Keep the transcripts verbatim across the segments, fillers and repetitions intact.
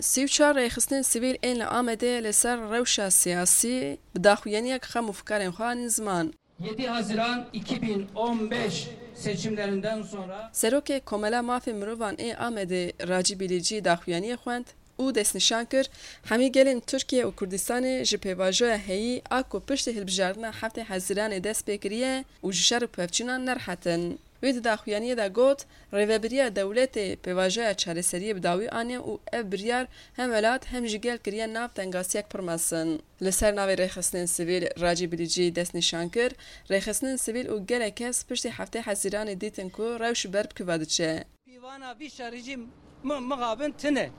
Sî û çar rêxistinên sivîl ên li Amedê li ser rewşa siyasî bi daxuyaniyek xem û fikarên xwe anîn ziman. Yedi Haziran iki bin on beş seçimlerinden sonra Serokê Komela Mafê Mirovan ê Amedê Racî Bîlîcî daxuyaniyê xwend û destnîşan kir, hemî gelên Tirkiye û Kurdistanê ji pêvajoya heyî a ku piştî hilbijartina heftê Hezîranê dest pê kiriye û ji şer û pevçûnan nerehet in. Wî di daxuyaniyê de got, rêvebiriya dewletê pêvajoya çareseriyê bi dawî aniye û ev biryar hem welat hem jî gel kiriye nav tengasiyek pir mezin. Li ser navê rêxistinên sivîl Racî Bilîcî destnîşan kir, rêxistinên sivîl û gelek kes piştî heftê Hezîranê dîtin ku rewş ber bi kuva diçe. Pîvana vî şerî jî mi-, mixabin tune.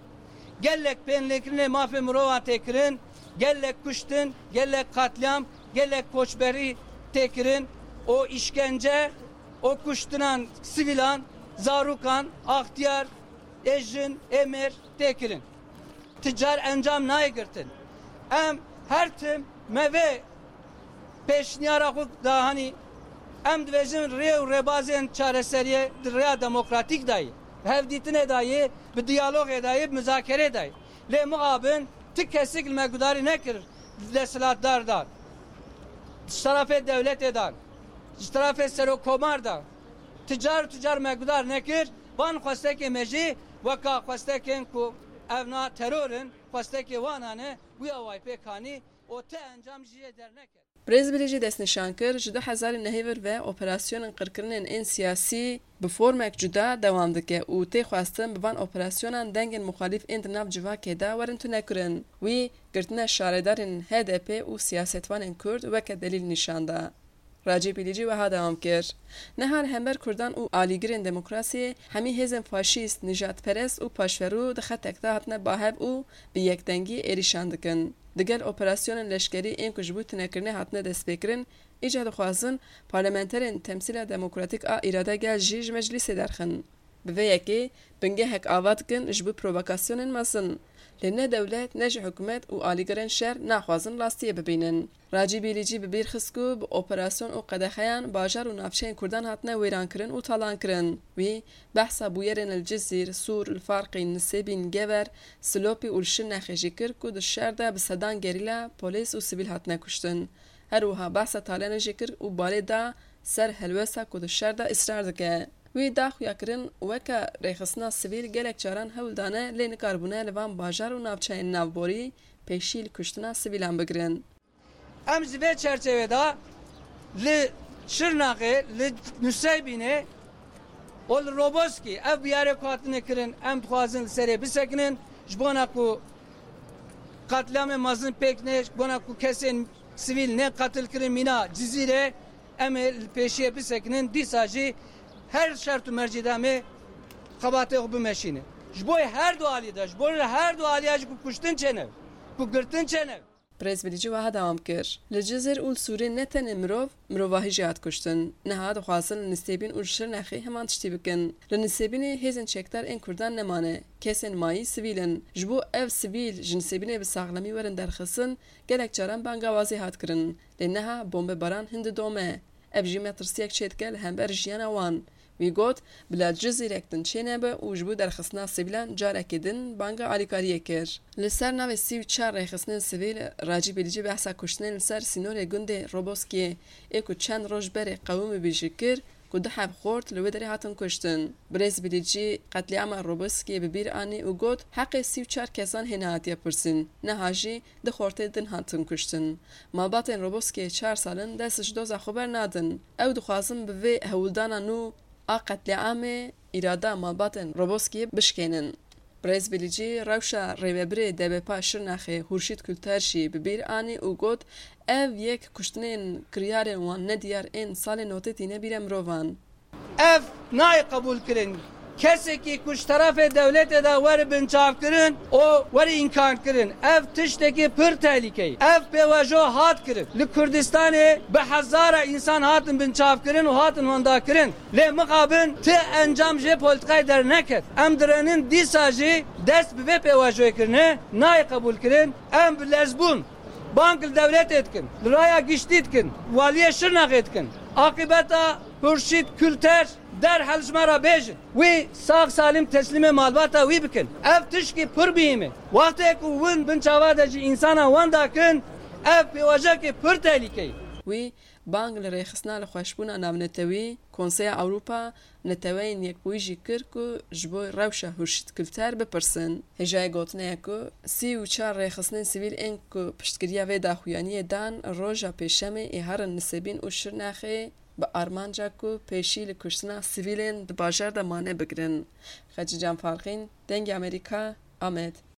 Gelek pênlêkirinê mafê mirovan tê kirin, gelek kuştin, gelek qatlîam, gelek koçberî tê kirin û îşkence û kuştinan sivîlan, zarokan, axtiyar, ê jin, ê mêr tê kirin. Ti car encam nayê girtin. Em her tim me vê pêşniyara xwe da, hanî em dibêjin rê û rêbazên çareseriyê di rêya demokratîk de yê, bi hevdîtinê de yê, bi diyalogê de yê, bi muzakerê de yê. Lê mixabin ti kesik li me gudarî nekir, desthilatdar de, ji terafê dewletê de, ji terafê serokkomar de, ti car û ti car me gudar nekir. Van xwestekê me jî weka xwestekên ku ev na teror in, xwestekê wan a ne, wî awayî pêk anî û ti encam jî jê derneket. Birêz Bilîcî destnîşan kir, ji du hezar û nehê vir ve operasyonên qirkirinên ên siyasî bi formek cuda dewam dike û tê xwestin bi van operasyonan dengên muxalîf ên di nav civakê de werin tunekirin. Wî girtina şaredarên H D P û siyasetvanên Kurd weke delîl nîşan da. Racî Bilîcî wiha dewam kir, Niha li hember Kurdan û alîgirên demokrasiyê hemî hêzên faşîst, nijadperest û paşverû di xetek de hatine bahev û bi yekdengî êrîşan dikin. Digel operasyonên leşkerî ên ku ji bo tunekirinê hatine destpêkirin, îcar dixwazin parlamenterên Temsîla Demokratîk a Îrada Gel jî ji meclîsê derxin. Bi vê yekê bingehek ava dikin ji bo provokasyonên mezin. Lê ne dewlet ne jî hikûmet û alîgirên şer naxwazin rastiyê bibînin. Racî Bîlîcî bi bîr xist ku bi operasyon û qedexeyan bajar û navçeyên Kurdan hatine wêrankirin û talankirin. Wî behsa bûyerên li Cizîr, Sûr, li Farqîn, Nisêbîn, Gever, Silopî û li Şirnexê jî kir ku di şer de bi sedan gerîla, polîs û sivîl hatine kuştin. Her wiha behsa Talyanê jî kir û balê da ser helwesta ku di şer de îsrar dike. Wî da xuyakirin weke rêxistina sivîl gelek caran hewl dane lê nikaribûne li van bajar û navçeyên navborî pêşî li kuştina sivîlan bigirin. Em ji vê çerçevê de li Şirnexê, li Nuseybînê û li Roboskî ev biyarê ku hatine kirin, em dixwazin li serê bisekinin, ji bona ku qetlîamê mezin pêk nê, ji bona ku kesên sivîl nê qetil kirin mîna Cizîrê, em ê li pêşiyê bisekinin, dîsa jî her şert û mercî de em ê xebatê xwe bimeşînin. Ji bo her du alî de, ji bo her du aliya jî ku kuştin çênebe, ku girtin çênebe. Birêz Bilîcî wiha dewam kir, Li Cizîr û li Sûrê ne tenê mirov, mirovahî jî hat kuştin. Niha dixwazin li Nisêbîn û li Şirnexê heman tiştî bikin. Li Nisêbînê hêzên çekdar ên Kurdan nemane, kesên mayî sivîl in. Ji bo ev sivîl ji Nisêbînê bi saxlemî werin derxistin, gelek caran banga wazê hat kirin. Lê niha bombebaran hin didome. Ev jî metirsiyek çêdike li hember jiyana wan. Wî got, Bila Cizîrek din çênebe û ji bo derxistina sivîlan carekê din banga alîkariyê kir. Li ser navê sî û çar rêxistinên sivîl, Racî Bilîcî behsa kuştinên li ser sînorê gundê Roboskiyê ê ku çend roj berê qewimîbû jî kir ku du heb xort li wê derê hatin kuştin. Birêz Bilîcî qetlîama Roboskiyê bi bîr anî û got, Heqê sî û çar kesan hê nehatiye pirsîn, niha jî du xortê din hatin kuştin. Malbatên Roboskê çar sal in dest ji doza xwe bernadin. Ew dixwazin bi vê hewldana nû a qetlîamê îrada malbatên Roboskê bişkênin. Birêz Bilîcî rewşa rêvebirê D B P a Şirnexê Hurşît Kulter jî bi bîr anî û got, Ev yek kuştinên kiryarên wan nediyar ên salên notê tîne bîra mirovan. Ev nayê qebûlkirin. Kesekî ku ji terefê dewletê de were binçavkirin û were înkarkirin, ev tiştekî pir tehlîke ye. Ev pêvajo hat kirin. Li Kurdistanê bi hezara însan hatin binçavkirin û hatin wendakirin. Lê mixabin ti encam ji vê polîtîkayê derneket. Em direnin dîsa jî dest bi vê pêvajoyê kirine, nayê qebûlkirin. Em bi lezbûn bang li dewletê dikin, li raya giştî dikin, waliyê Şirnexê dikin. Aqîbeta Hurşît Kulter derhal ji me re bêjin. Wî sax salim teslîmê malbata wî bikin. Ev tişkî pir bihîm e. Wextê ku win bin çava de ji însana wan dakin, ev pêvajoyekê pir tehlîke ye. Wî bang li rêxistina li xweşbûna navnetewî, Konseya Ewropa, Neteweyên Yekbûyî jî kir ku ji bo rewşa Hurşît Kulter bipirsin. Hêjayê gotinê ye ku sî û çar rêxistinên sivîl ên ku piştgiriya vê daxuyaniyê dan, roja Pêşemê ê herin Nisêbîn û Şirnexê bi armanca ku pêşî li kuştina sivîlên di bajar de mane bigirin. Xecîcan Farqîn, Dengê Amerîka, Amed.